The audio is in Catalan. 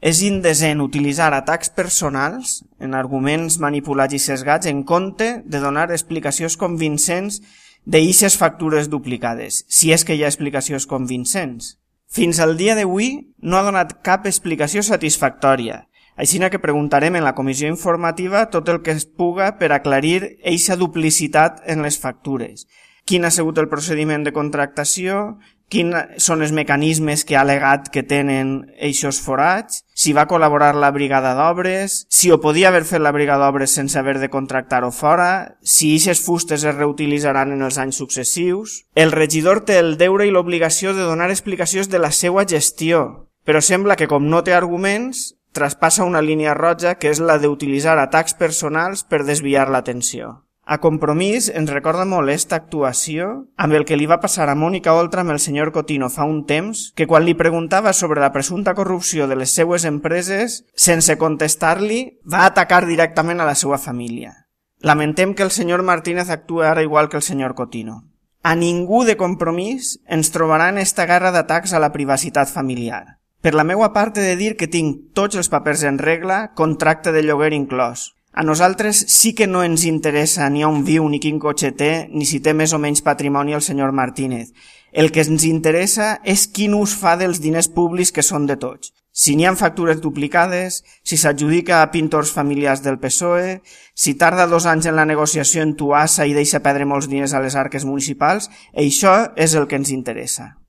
És indecent utilitzar atacs personals en arguments manipulats i sesgats en compte de donar explicacions convincents d'eixes factures duplicades, si és que hi ha explicacions convincents. Fins al dia d'avui no ha donat cap explicació satisfactòria, així que preguntarem en la comissió informativa tot el que es puga per aclarir eixa duplicitat en les factures. Quin ha sigut el procediment de contractació, quins són els mecanismes que ha alegat que tenen eixos forats, si va col·laborar la brigada d'obres, si ho podia haver fet la brigada d'obres sense haver de contractar-ho fora, si eixes fustes es reutilitzaran en els anys successius. El regidor té el deure i l'obligació de donar explicacions de la seva gestió, però sembla que com no té arguments, traspassa una línia roja que és la d'utilitzar atacs personals per desviar l'atenció. A Compromís ens recorda molt esta actuació amb el que li va passar a Mònica Oltra amb el senyor Cotino fa un temps, que quan li preguntava sobre la presumpta corrupció de les seues empreses, sense contestar-li, va atacar directament a la seva família. Lamentem que el senyor Martínez actua ara igual que el senyor Cotino. A ningú de Compromís ens trobarà en esta guerra d'atacs a la privacitat familiar. Per la meua part he de dir que tinc tots els papers en regla, contracte de lloguer inclòs. A nosaltres sí que no ens interessa ni on viu, ni quin cotxe té, ni si té més o menys patrimoni el senyor Martínez. El que ens interessa és quin ús fa dels diners públics que són de tots. Si n'hi ha factures duplicades, si s'adjudica a pintors familiars del PSOE, si tarda 2 anys en la negociació en Tuassa i deixa perdre molts diners a les arques municipals, això és el que ens interessa.